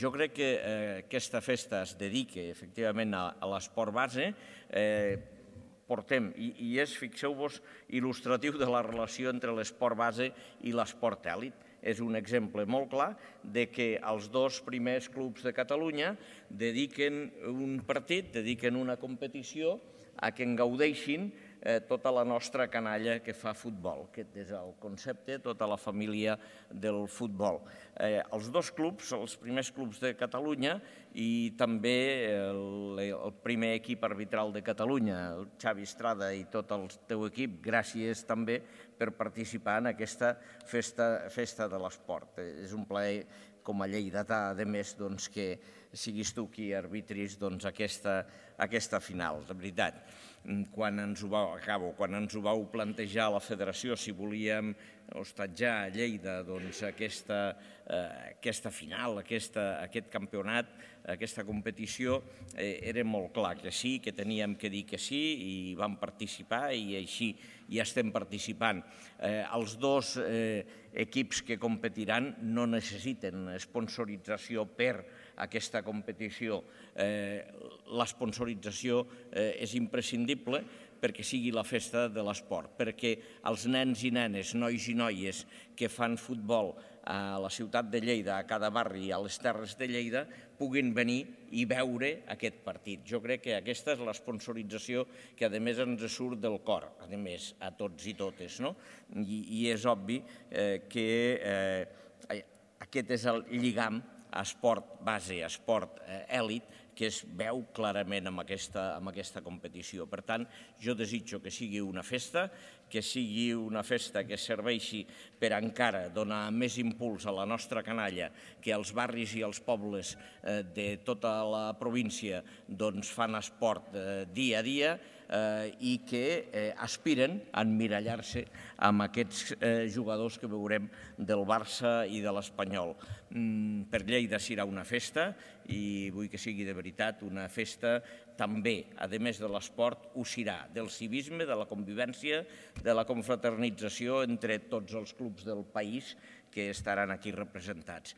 Jo crec que aquesta festa es dedica efectivament a l'esport base. Portem, i és, fixeu-vos, il·lustratiu de la relació entre l'esport base i l'esport èlit. És un exemple molt clar de que els dos primers clubs de Catalunya dediquen un partit, dediquen una competició a que en gaudeixin tota la nostra canalla que fa futbol. Aquest és el concepte, tota la família del futbol. Els dos clubs, els primers clubs de Catalunya i també el primer equip arbitral de Catalunya, el Xavi Estrada i tot el teu equip, gràcies també per participar en aquesta festa de l'esport. És un plaer com a lleidatà, a més, que siguis tu qui arbitris aquesta final. De veritat, quan ens ho vau plantejar a la federació, si volíem hostatjar a Lleida aquesta final, aquest campionat, aquesta competició, era molt clar que sí, que teníem que dir que sí, i vam participar i així ja estem participant. Els dos equips que competiran no necessiten sponsorització per aquesta competició. L'esponsorització és imprescindible perquè sigui la festa de l'esport, perquè els nens i nenes, nois i noies que fan futbol a la ciutat de Lleida, a cada barri i a les Terres de Lleida, puguin venir i veure aquest partit. Jo crec que aquesta és l'esponsorització que, a més, ens surt del cor, a més, a tots i totes, no? I és obvi que aquest és el lligam esport base, esport èlit, que es veu clarament amb aquesta competició. Per tant, jo desitjo que sigui una festa que serveixi per encara donar més impuls a la nostra canalla, que els barris i els pobles de tota la província fan esport dia a dia i que aspiren a emmirallar-se amb aquests jugadors que veurem del Barça i de l'Espanyol. Per Lleida serà una festa i vull que sigui de veritat una festa també, a més de l'esport, ho serà, del civisme, de la convivència, de la confraternització entre tots els clubs del país que estaran aquí representats.